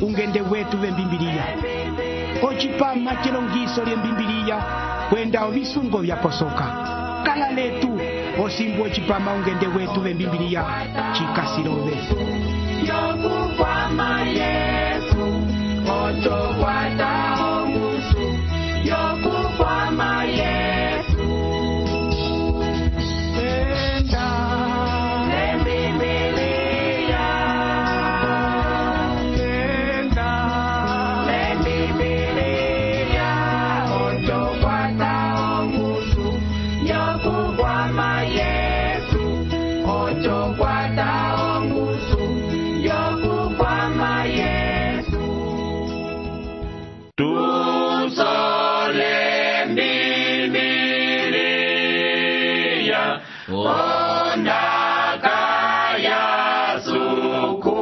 ungende wetu vembimbiliya ocipama celongiso lyembimbiliya kwenda ovisungo vyaposoka kala letu osimbu ocipama ungende wetu vembimbiliya cikasilove yokukwama Yesu otokwata ongusu yokukwama Yesu enda lembimbiliya enda lembimbiliya otokwata ongusu yokukwama Yesu otokwata ongusu yokukwama Yesu tusole mbimbiliya ondaka ya suku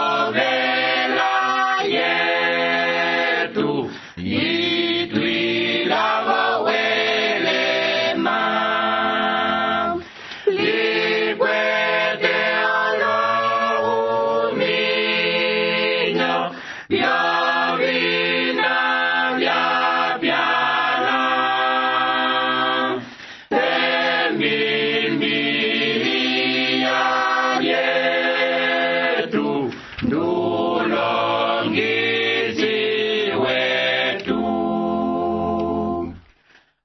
oyovela yetu itwilavo welema likwete olohuminyo vyovina vyapyala embimbiliya yetu ndulongisi wetu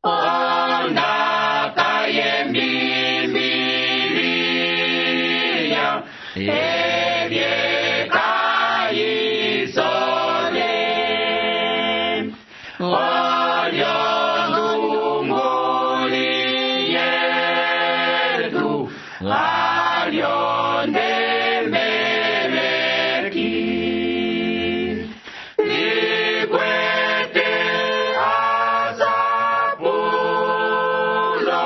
ondaka yembimbiliya evyekayisole olyondunguli yetu alyondemeleki likwete asapulo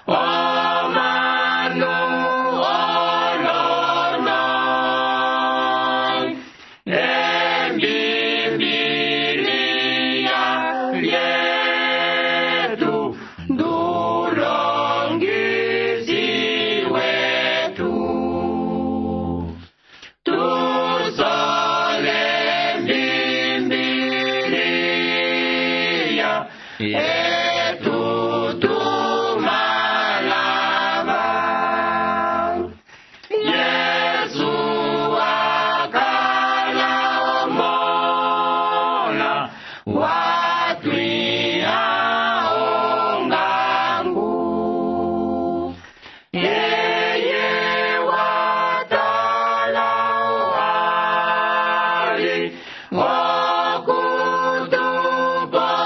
omanu olono embimbiliya lyetu ndulongisi wetu tusole mbimbiliya yetu tumalava Yesu akala omola watwiha ongangu yeye watala wali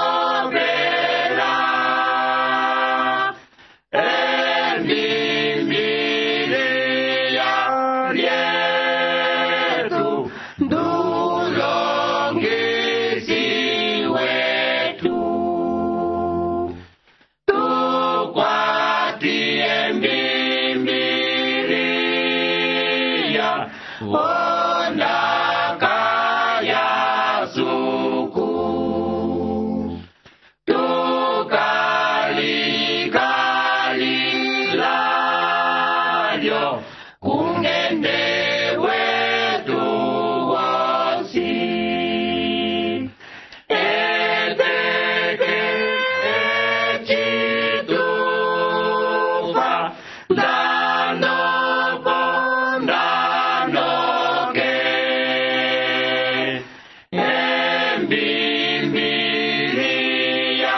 okutupopela embimbiliya lyetu ndulongisi wetu tukwati embimbiliya ondaka ya suku tukalikalilyo kungende wetu wosi eteke ecitufa ndanoko ndanoke embimbiliya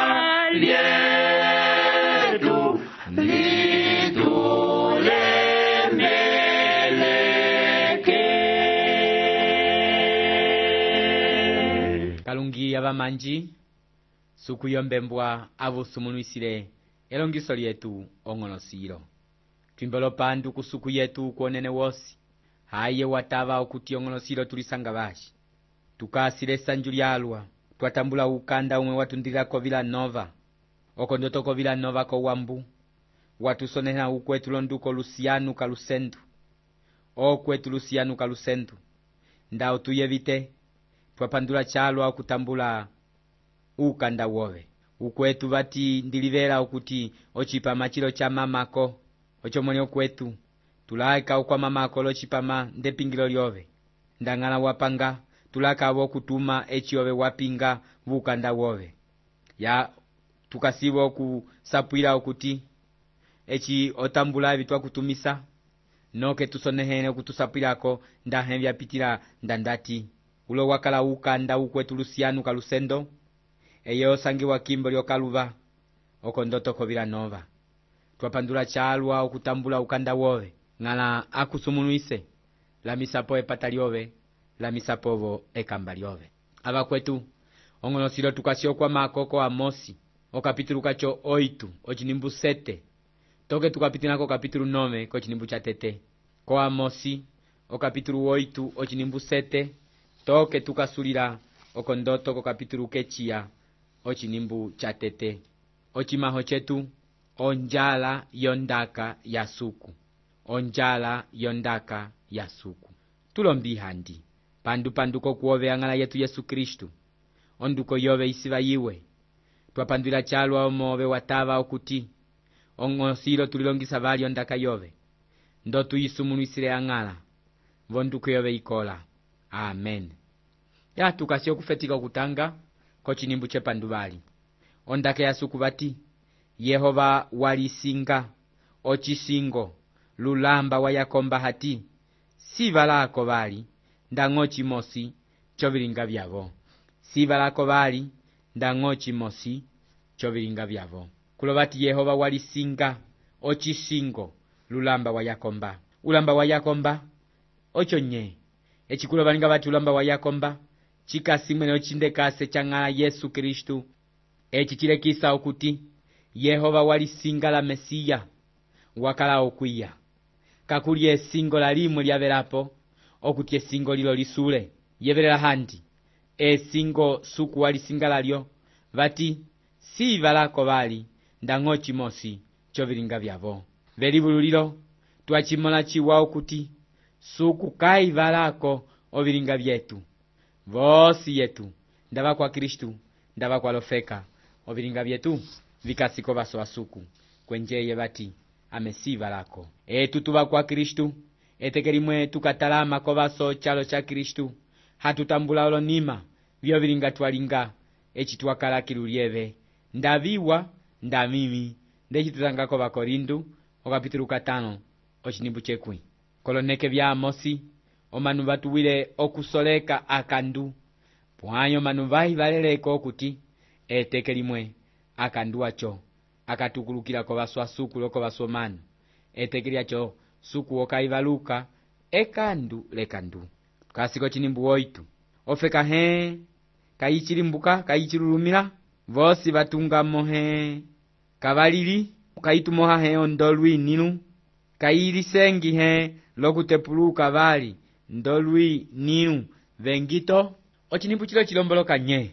lyetu litulemeleke kalungi abamanji sukuyombembwa avusumunuisile elongiso lyetu ong'onosilo twimbelo pandu kusuku yetu kuonene wosi haye watava okuti ong'onosilo tulisanga bashi tukasile sanju lyalwa twatambula ukanda umwe watundilako Villanova okondotoko Villanova ko wambu watusonena ukwetu londuko Luciano Kalusendu okwetu Luciano Kalusendu ndao tuyevite twapandula chalwa okutambula ukanda wowe ukwetu vati ndilivela okuti ochipa machilo cha mamako ochomoni okwetu tulaika ukwamamako locipama ndepingilo lyove ndang'ala wapanga tulaka wokutuma eci ove wapinga vukanda wove ya tukasiwa okusapwila okuti eci otambula evi twakutumisa noke tusonehene okutusapwilako ndahe vyapitila ndandati ulo wakala ukanda ukwetu Luciano Kalusendo eye osangiwa kimbo lyokaluva oko ndoto kovila nova twapandula chalwa okutambula ukanda wove ng'ala akusumunuise la misapo epata lyove la misapovo ekamba lyove abakwetu ong'onosilo tukasio kwa makoko Amosi okapitulu kacho 8 ochinimbu 7 toke tukapitinako kapitulu 9 kochinimbu cha tete ko Amosi okapitulu 8 ochinimbu 7 toke tukasulila okondoto ko kapitulu kechia ochinimbu cha tete ochimaho chetu onjala yondaka ya suku onjala yondaka ya suku tulombi handi panduko kuove ang'ala yetu Yesu Kristu onduko yove isiva yiwe twapandwila chalwa omove watava okuti ong'osilo tulilongisa vali ondaka yove ndo tuyisumunuisile ang'ala vonduko yove ikola amen ya tukasio kufetika okutanga kochinimbu chepanduvali ondaka ya suku vati Yehova walisinga ochisingo lulamba wa Yakomba hati siva lako vali ndang'ochi mosi chovilinga vyavo siva lako vali ndang'ochi mosi chovilinga vyavo kulo vati Yehova walisinga ochisingo lulamba wa Yakomba ulamba wa Yakomba ocho nye echikulo valinga vati ulamba wa Yakomba chikasimwene ochindekase chang'ala Yesu Kristu echi chilekisa okuti Yehova walisinga la Mesiya wakala okwiya kakuli esingo la limwe lyavelapo okuti esingo lilo lisule yevelela handi esingo suku walisinga lalyo vati siva lako vali ndang'ochi mosi chovilinga vyavo velivululilo twachimola chiwa okuti suku kaiva lako ovilinga vyetu vosi yetu ndava kwa Kristu ndava kwa lofeka ovilinga vyetu vikasiko vaso asuku kwenjeye vati amesiva lako tutuva kwa Kristu etekelimwe tukatalama kovaso chalo cha Kristu hatutambula olonima vyovilinga twalinga echi twakala kilulyeve ndaviwa ndamimi ndechitutangako vakorindu okapitulu 5 ochinimbu chekwi koloneke vya Amosi omanu vatuwile okusoleka akandu pwanyo manu vahivaleleko okuti etekelimwe akandu acho akatukulukila kovaso asuku loko vaso manu etekeli acho suku okaivaluka ekandu lekandu kasiko chinimbu 8 ofeka he kayichilimbuka kayichilulumila vosi vatungamo he kavalili kaitumoha he ondolwi ninu kayilisengi he lokutepuluka vali ndolwi ninu vengito ochinimbu chilo chilomboloka nye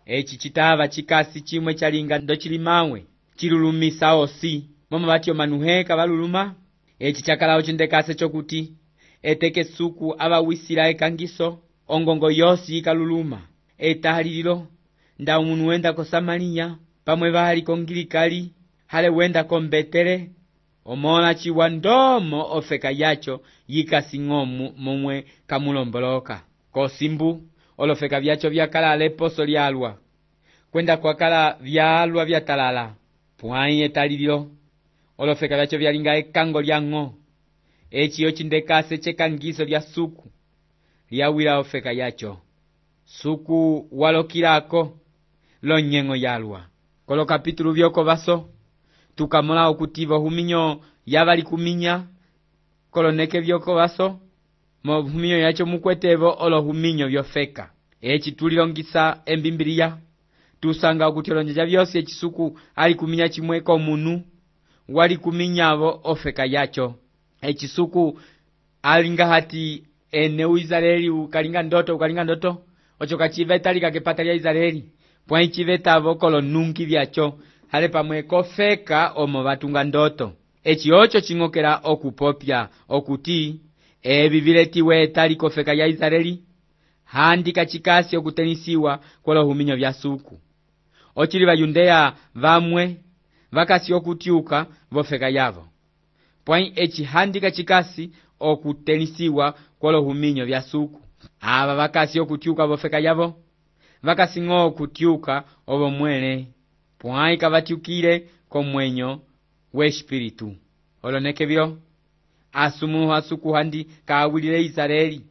echi chitava chikasi chimwe chalinga ndo chilimawe chilulumisa osi momo vatyo manuhe kavaluluma echi chakalawo chindekase chokuti eteke suku avawisila ekangiso ongongo yosi ikaluluma etalililo nda umunu wenda ko Samariya pamwe vali kongilikali hale wenda ko Betele omola chiwa ndomo ofeka yacho yikasing'omu momwe kamulomboloka kosimbu olofeka vyacho vyakala leposo lyalwa kwenda kwakala vyalwa vyatalala pwai etalililo olofeka vyacho vyalinga ekango lyang'o echi yochindekase chekangiso lya suku lyawila ofeka yacho suku walokilako lonyeng'o yalwa kolo kapitulu vyoko vaso tukamola okutivo huminyo yavali kuminya koloneke vyoko vaso mo huminyo yacho mukwetevo olo huminyo vyofeka echi tulilongisa embimbiliya tusanga okuti olonjeja vyosi echisuku ali kuminya chimweko munu wali kuminyavo ofeka yacho echisuku alinga hati ene Israeli ukalinga ndoto ocho kachiveta likakepata lya Israeli pwa ichivetavo kolo nungi vyacho hale pamwe kofeka omo vatunga ndoto echi ocho ching'okela okupopya okuti evi viletiwe etali kofeka ya Israeli handi kachikasi okutenisiwa kolo huminyo vya suku ochili vayundeya vamwe vakasi okutiuka vofeka yavo pwai ecihandika cikasi okutenisiwa kwolohuminyo vya suku. Ava vakasi okutyuka vofeka yavo vakasi ng'o okutyuka ovo mwele pwai kavatyukile komwenyo wespiritu. Oloneke vilo asumuhu asuku handi kaawilile Israeli.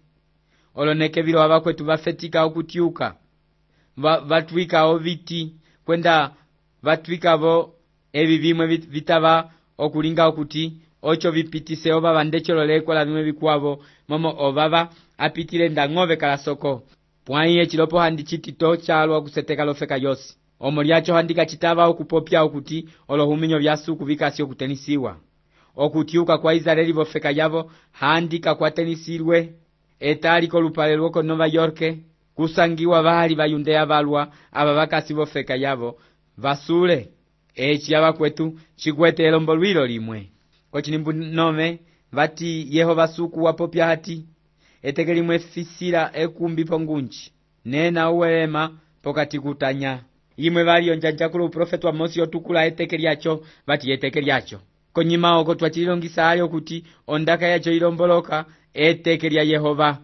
Oloneke vilo avakwetu vafetika okutyuka vatwikawo viti kwenda vatwikavo evi vimwe vitava okulinga okuti ocho vipitise ovava ndechololekwa vimwe vikwavo momo ovava apitile ndang'ove kalasoko pwai echilopo handi chitito chalwa kuseteka lofeka yosi. Omo lyacho handi kachitava okupopya okuti olohuminyo vya suku vikasi okutenisiwa. Okutyuka kwa Israeli vofeka yavo handi kakwatenisirwe etali kolupale lwoko Nova York kusangiwa vali vayundeya valwa ava vakasi vofeka yavo vasule eci avakwetu chikwete elombo lwilo limwe. Kochinimbu nome vati Yehova suku wapopya hati eteke limwe fisila ekumbi pongunji nena uwelema pokati kutanya imwe vali onjanjakulo uprofetu wa Mosi otukula eteke lyacho vati eteke lyacho konyima oko twachililongisa ali okuti ondaka yacho ilomboloka eteke lya Yehova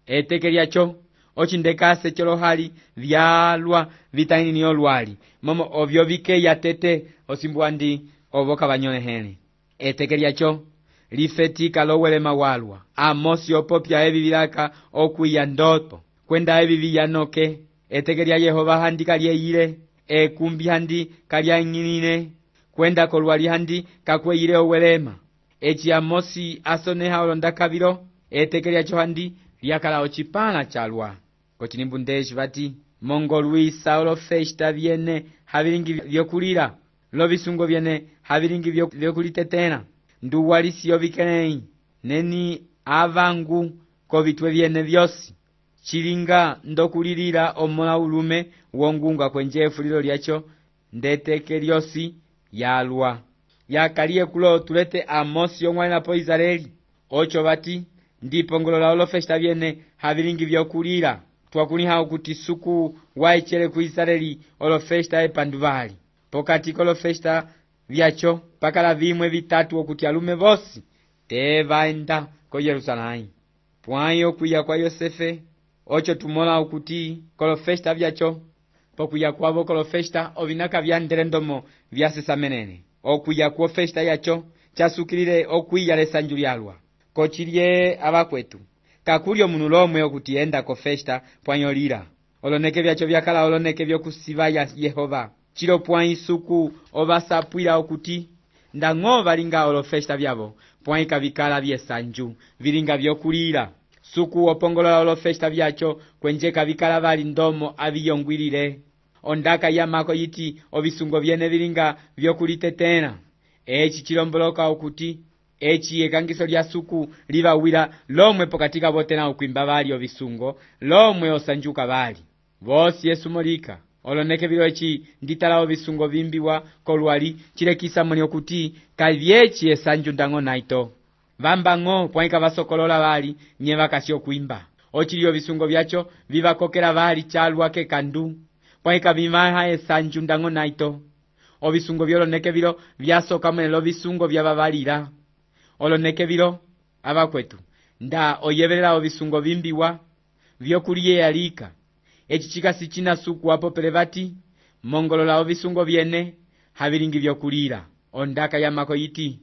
eteke lyacho ochindekase cholohali vyalwa vitaini olwali momo ovyo vikeya tete osimbu andi ovoka vanyolehele eteke lyacho lifetika lowelema walwa Amosi opopya evi vilaka okwiya ndoto kwenda evi viyanoke eteke lya Yehova handi kalyeyile ekumbi handi kalyang'inine kwenda kolwali handi kakweyile owelema eci Amosi asoneha olondaka vilo eteke lyacho handi lyakala ochipala chalwa. Kochinimbu ndeshi vati mongo luisa olofesta vyene havilingi vyokulira lovisungo vyene havilingi vyokulitetena nduwalisiyo vikelei neni avangu kovitwe vyene vyosi chilinga ndokulilira omola ulume wongunga kwenjefu lilo lyacho ndeteke lyosi yalwa yakaliye kulo tulete Amosi yong'walina po Israeli ocho vati ndipongolola olofesta vyene havilingi vyokulira twakuliha okuti suku waechele ku Israeli olofesta epanduvali pokati kolofesta vyacho pakala vimwe vitatu okuti alume vosi tevaenda ko Yerusalemu pwai okwiya kwa Yosefe ocho tumola okuti kolofesta vyacho pokwiya kwavo kolofesta ovinaka vyandele ndomo vyasesamenene okwiya kwa festa yacho chasukilile okwiya lesanju lyalwa kochilye abakwetu kakulyo munu lomwe okuti enda ko festa pwanyolira oloneke vyacho vyakala oloneke vyokusiva ya Yehova chilo pwai suku ovasapwila okuti ndang'ova linga olofesta vyavo pwai kavikala vyesanju vilinga vyokulira suku opongolola olofesta vyacho kwenje kavikala vali ndomo aviyongwilile ondaka yamako yiti ovisungo vyene vilinga vyokulitetena eci chilomboloka okuti eci ekangiso lya suku livawila lomwe pokatika botena ukwimba vali ovisungo lomwe osanjuka vali vosi Yesu molika oloneke vilo eci nditala ovisungo vimbiwa kolwali chilekisa muli okuti kavyeci esanju ndango naito vambang'o pwaika vasokolola vali nye vakasi okwimba ochiliyo visungo vyacho vivakokela vali chalwa kekandu pwaika vimaha esanju ndango naito ovisungo vyoloneke vilo vyasoka mwelo visungo vyavavalira oloneke vilo abakwetu nda oyevelela ovisungo vimbiwa vyokuliye alika eci chikasi china suku wapo pelevati mongolola ovisungo vyene havilingi vyokulira ondaka yamako yiti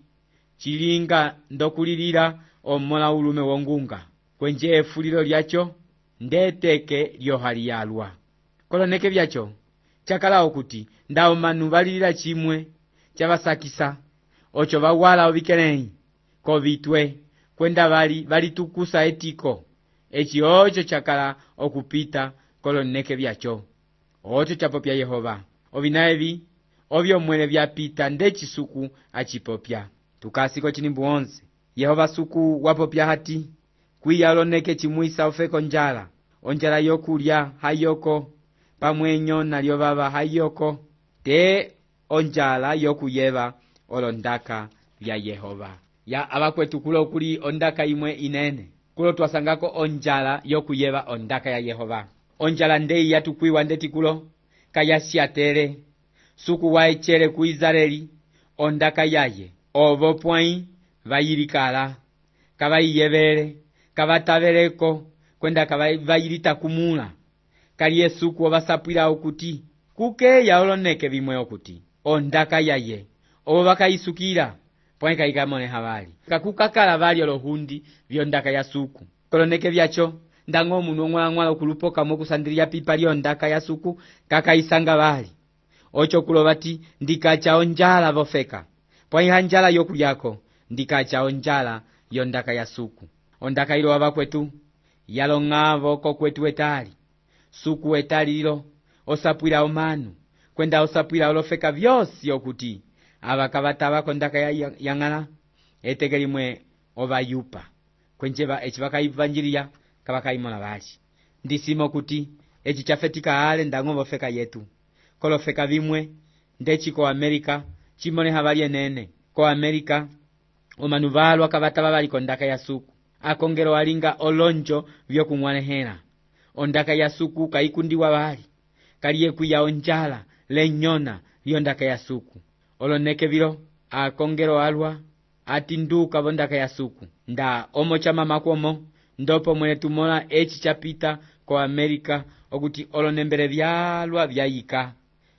chilinga ndokulilira omola ulume wongunga kwenje efulilo lyacho ndeteke lyohali yalwa koloneke vyacho chakala okuti ndawo manu valilira chimwe chavasakisa ocho vawala ovikelei kovitwe kwenda valitukusa etiko eci ocho chakala okupita koloneke vyacho ocho chapopya Yehova ovinaevi ovyo mwele vyapita ndeci suku achipopya tukasiko chinimbu 11 Yehova suku wapopya hati kwiya oloneke chimwisa ofeko njala onjala yokulya hayoko pamwenyo nalyo vava hayoko te onjala yokuyeva olondaka vya Yehova ya abakwetu kulo kuli ondaka imwe inene kulo twasangako onjala yokuyeva ondaka ya Yehova onjala ndei yatukwiwa ndeti kulo kayasiatere suku waechele ku Israeli ondaka yaye ovo pwai vayilikala kavayiyevele kavataveleko kwenda kavayilita kumula kali esuku ovasapwila okuti kukeya oloneke vimwe okuti ondaka yaye ovo vakayisukila pwãyi kayikamõleha vali kakukakala vali olohundi vyondaka ya suku koloneke vyacho ndañgo omunu oñg'walañg'wala okulupokamwe okusandilya pipa lyondaka ya suku kakayisanga vali ocho kulova ti ndikacha onjala vofeka pwãyi hanjala yokulyako ndikacha onjala yondaka ya suku ondaka ilo avakwetu yalong'avo kokwetu etali suku etali lilo osapwila omanu kwenda osapwila olofeka vyosi okuti ava kavatava kondaka yañg'ala eteke limwe ovayupa kwenje eci vakayivanjiliya kavakayimola vali ndisimo kuti eci chafetika ale ndañgo vofeka yetu kolofeka vimwe ndeci ko Amerika chimoleha vali enene ko Amerika omanu valwa kavatava vali kondaka ya suku akongelo alinga olonjo vyokuñwalehela ondaka ya suku kayikundiwa vali kaliye kwiya onjala lenyona lyondaka ya suku oloneke vilo akongelo alwa atinduka vondaka ya suku nda omo chamamakomo ndopo mwene tumola eci chapita ko Amerika okuti olonembele vyalwa vyayika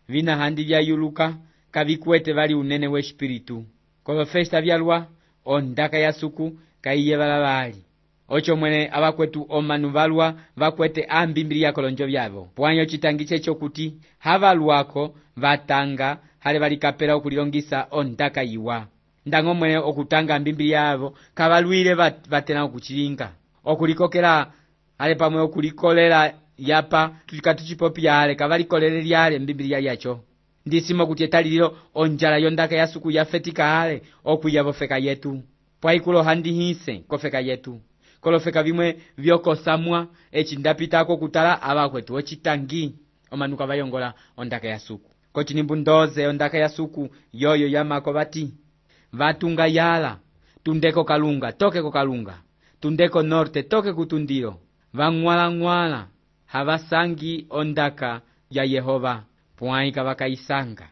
vina handi vyayuluka kavikwete vali unene wespiritu kolofesta vyalwa ondaka ya suku kayiyevala vali ocho mwene avakwetu omanu valwa vakwete ambimbiliya kolonjo vyavo pwãyi ocitangiche chokuti havalwako vatanga hale valikapela okulilongisa ondaka yiwa ndañgo mwene okutanga ambimbiliya yavo kavalwile vatela okuchilinga okulikokela hale pamwe okulikolela yapa katuchipopiya hale kavalikolele lyale mbimbiliya yacho ndisimo kuti etali lilo onjala yondaka ya suku yafetika hale okwiya vofeka yetu pwãyi kuloha ndihise kofeka yetu kolofeka vimwe vyokosamwa eci ndapitako kutala avakwetu ocitangi omanu kavayongola ondaka ya suku kocinimbu ndoze ondaka ya suku yoyo yamako vati vatunga yala tundeko kalunga toke ko kalunga tundeko norte toke kutundilo vañg'walañg'wala havasangi ondaka ya Yehova pwãyi kavakayisanga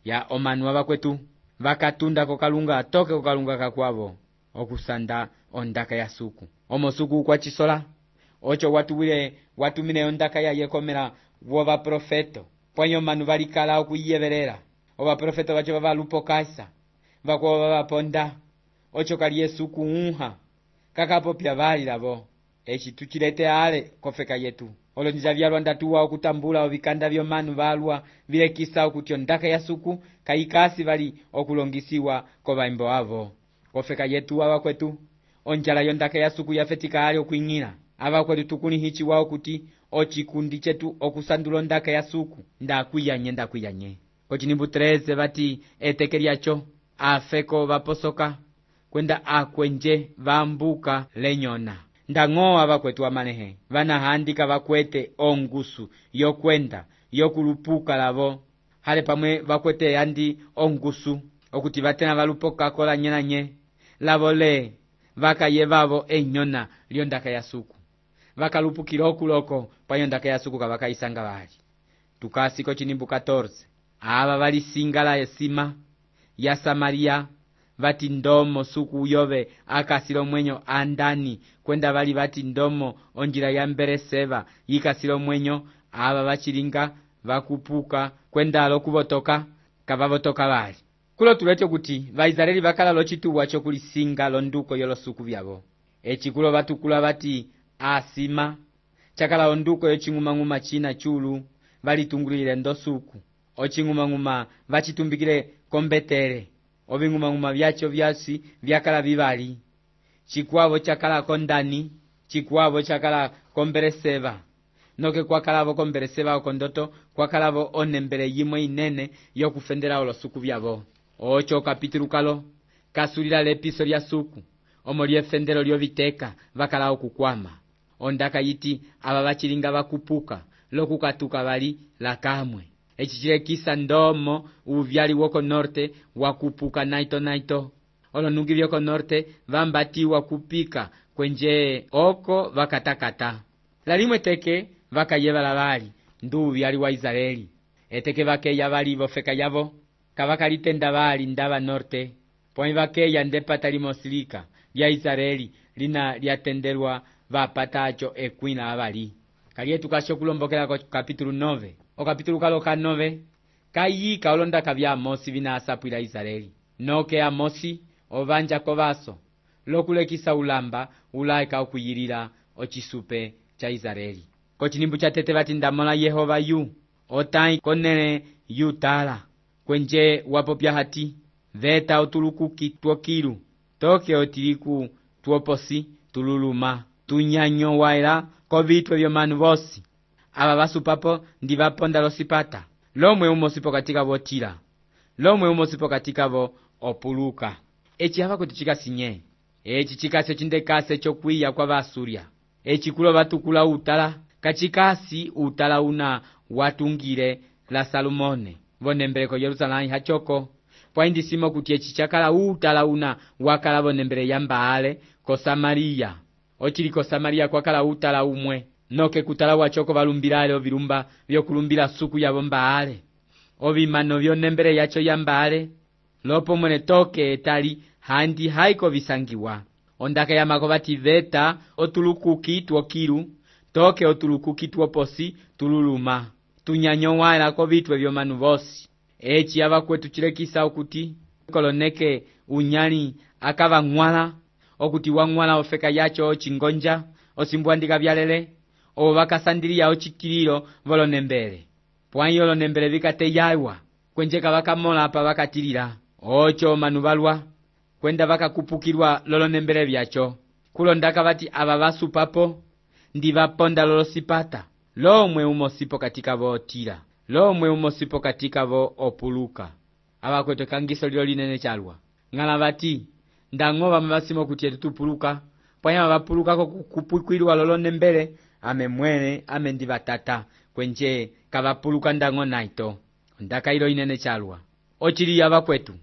ya omanu avakwetu vakatunda ko kalunga toke ko kalunga kakwavo okusanda ondaka ya suku omo suku kwa chisola ocho watumile ondaka ya yekomela wovaprofeto pwãyi omanu valikala okuyiyevelela ovaprofeto vacho vavalupokasa vakuva vavaponda ocho kali esuku unha kakapopya vali lavo eci tuchilete ale kofeka yetu olonja vyalwa ndatuwa okutambula ovikanda vyomanu valwa vilekisa okuti ondaka ya suku kayikasi vali okulongisiwa kovaimbo avo kofeka yetu avakwetu onjala yondaka ya suku yafetika ale okwing'ila avakwetu tukulihichiwa okuti ocikundi chetu okusandula ondaka ya suku ndakwiyanye kocinimbu 13 vati eteke lyacho afeko vaposoka kwenda akwenje vambuka lenyona ndañgo avakwetu amalehe vanahandika vakwete ongusu yokwenda yokulupuka lavo hale pamwe vakwete yandi ongusu okuti vatena valupokako lanye lavo le vakaye vavo enyona lyondaka ya suku vakalupukila okuloko pwãyi ondaka ya suku kavakayisanga vali tukasi kocinimbu 14 ava valisinga la esima ya Samaria vati ndomo suku yove akasila omwenyo andani kwenda vali vati ndomo onjila ya Mbereseva yikasila omwenyo ava vachilinga vakupuka kwenda alokuvotoka kavavotoka vali kulo tulecho kuti vaisraeli vakala locituwa chokulisinga londuko yolosuku vyavo eci kulo vatukula vati asima chakala onduko yoching'umang'uma china chulu valitungulile ndosuku oching'umang'uma vachitumbikile kombetele oving'umang'uma vyacho vyasi vyakala vivali chikwavo chakala kondani chikwavo chakala kombereseva noke kwakalavo kombereseva okondoto kwakalavo onembele yimwe inene yokufendela olosuku vyavo ocho kapitulu kalo kasulila lepiso lya suku omo lyefendelo lyoviteka vakala okukwama ondaka yiti ava vachilinga vakupuka lokukatuka vali lakamwe eci chilekisa ndomo uvyali woko norte wakupuka naito olonungi vyoko norte vambatiwa kupika kwenje oko vakatakata lalimwe teke vakayevala vali ndu uvyali wa Israeli eteke vakeya vali vofeka yavo kavakalitenda vali ndava norte pwãyi vakeya ndepata limosilika lya Israeli lina lyatendelwa vapata aco ekwina avali. Kaliye tukasho kulombokela ko kapitulu 9. O kapitulu kalo ka 9 kayika olondaka vya Amosi vina asapwila Israeli. Noke Amosi ovanja kovaso lokulekisa ulamba ulaika okuyilila ocisupe cha Israeli. Ko cinimbu cha tete vati ndamola Yehova yu otai konele yutala kwenje wapopya hati veta otulukuki twokilu toke otiliku twoposi tululuma tunyanyo waila ko vitwe vyomanu vosi ava vasupapo ndi vaponda losipata lomwe umosipo katika votila lomwe umosipo katika vo opuluka. Eci hava kuti chikasinye eci chikasi chindekase chokwiya kwa Vasuria eci kulo vatukula utala kachikasi utala una watungile la Salomone vonembele ko Yerusalemu hachoko pwaindisimo kuti eci chakala utala una wakala vonembele ya Mbaale ko Samaria ochili ko Samaria kwakala utala umwe noke kutala wachoko valumbilale ovilumba vyokulumbila suku yavo Mbaale ovimano vyonembele yacho ya Mbaale lopo mwene toke etali handi haiko visangiwa ondaka yamako vati veta otulukuki twokilu toke otulukuki twoposi tululuma tunyanyo waila ko vitwe vyomanu vosi. Eci ava kwetu chilekisa okuti koloneke unyali akava ng'wala okuti wang'wala ofeka yacho ochingonja osimbwandika vyalele ovo vakasandiliya ochikililo volonembele pwayi olonembele vikateyaiwa kwenjeka vakamola apa vakatilila ocho manu valwa kwenda vakakupukilwa lolonembele vyacho kulondaka vati ava vasupapo ndi vaponda lolosipata lomwe umosipo katika votila lomwe umosipo katika vo opuluka. Ava kwetu kangiso lilo linene chalwa ng'ala vati ndang'ova mavasimo kuti etu tupuluka pwanya vapulukako kupukwilwa lolonembele ame mwene ame ndi vatata kwenje kavapuluka ndang'o naito ondaka ilo inene chalwa ochili ava kwetu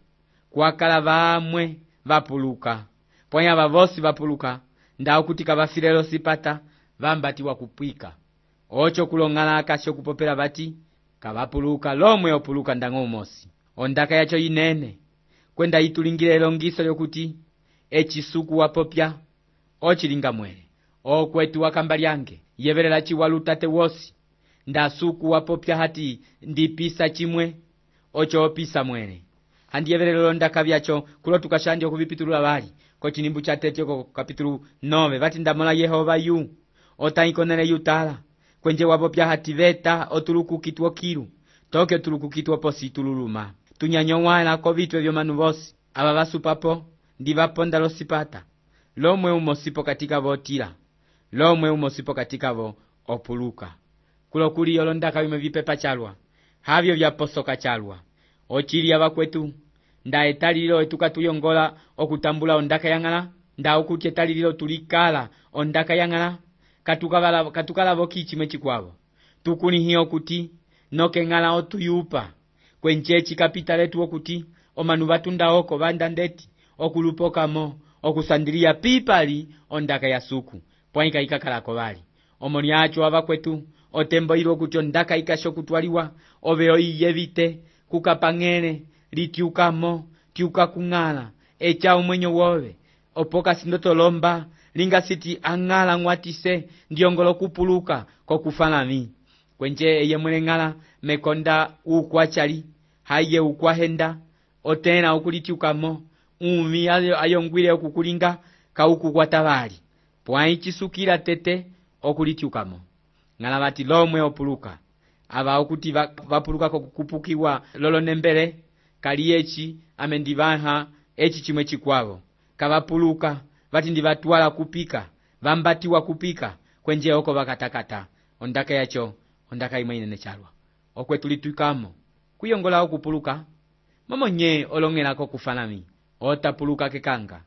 kwakala vamwe vapuluka pwanya vavosi vapuluka ndawo kuti kavafile losipata vambatiwa kupwika ocho kulong'ala akasho kupopela vati kavapuluka lomwe opuluka ndang'o umosi ondaka yacho inene kwenda itulingile longiso lyokuti ecisuku wapopya ochilinga mwele okwetu wakamba lyange yevelela chiwalu tate wosi ndasuku wapopya hati ndipisa chimwe ocho opisa mwele handi yevelela londaka vyacho kulo tukashandya okuvipitulula vali ko cinimbu cha tete ko kapitulu 9 vati ndamola Yehova yu otaikonele yutala kwenje wapopya hati veta otulukuki twokilu toke otulukuki twoposi tululuma tunyanyo waila ko vitwe vyomanu vosi ava vasupapo ndi vaponda losipata lomwe umosipo katika votila lomwe umosipo katika vo opuluka kulo kuli yolondaka vimwe vipepa chalwa havyo vyaposoka chalwa ochili ava kwetu nda etalililo etuka tuyongola okutambula ondaka yang'ala nda okuti etalililo tulikala ondaka yang'ala katukala voki chimwe chikwavo tukunihiya okuti noke ng'ala otuyupa kwenje chikapita letu okuti omanu vatunda oko vanda ndeti okulupokamo okusandiliya pipali ondaka ya suku pwaika ikakalako vali omoni acho ava kwetu otembo ilo kuti ondaka ikasho kutwaliwa oveo iyevite kukapang'ele litiukamo tiuka kung'ala echa umwenyo wove opoka sindotolomba linga siti ang'ala ng'watise ndiyongolo kupuluka kokufanami kwenje eye mwele ng'ala mekonda ukwachali haye ukwahenda otena ukulitiukamo umi ayongwile okukulinga kaukukwatavali pwayi chisukila tete okulitiukamo ng'ala vati lomwe opuluka ava okuti vapuluka kokupukiwa lolonembele kali eci ame ndivaha eci chimwe chikwavo kavapuluka vati ndivatwala kupika vambatiwa kupika kwenje oko vakatakata ondaka yacho ondaka imwe inene chalwa okwetulituikamo kuyongola okupuluka momonye olong'elako kufanami otapuluka kekanga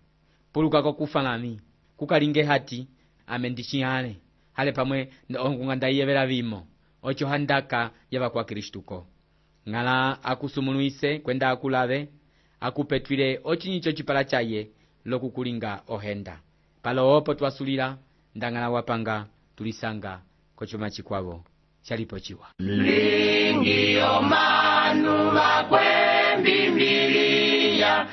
puluka kokufanami kukalinge hati ame ndichihale hale pamwe ongung'anda iyevela vimo ocho handaka yava kwa Kristuko ng'ala akusumuluise kwenda akulave akupetwile ochinyicho chipala chaye lokukulinga ohenda palo opo twasulila ndang'ala wapanga tulisanga kochoma chikwavo chalipo chiwa lingi omanu vakwembimbiliya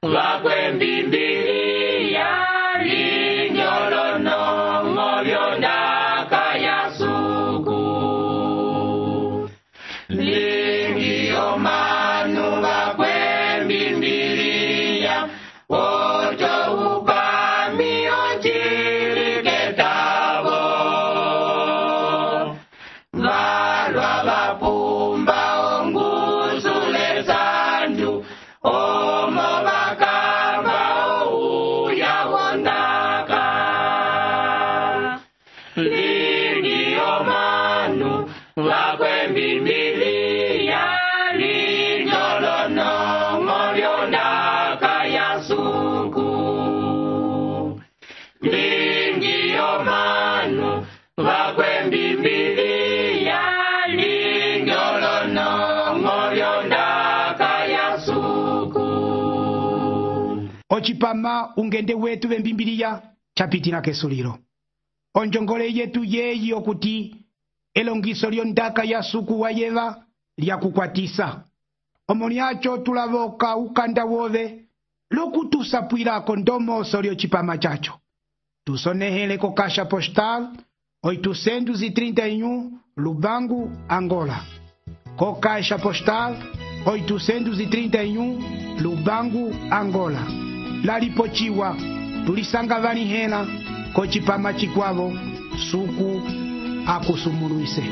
vakwembimbilia linyolonongo lyondaka ya suku lingiyo manu vakwembimbilia ojo upami ojiliketavo valwa vapumba ongusule zanju omo vakamba ouya wondaka lingiyo manu vakwembimbilia linyolonongo lyondaka ya suku lingiyo manu vakwembimbilia linyolonongo lyondaka ya suku. Ochipama ungende wetu vembimbiliya chapitina kesuliro. Onjongole yetu yeyi okuti elongiso lyondaka ya suku wayeva lyakukwatisa. Omoniacho tulavoka ukanda wove lokutusapwirako ndomoso lyochipama chacho. Tusonehele ko Caixa Postal 831 Lubangu, Angola. Ko Caixa Postal 831 Lubangu, Angola. Lalipochiwa tulisanga vanihela ko chipama chikwavo suku akusumuluise.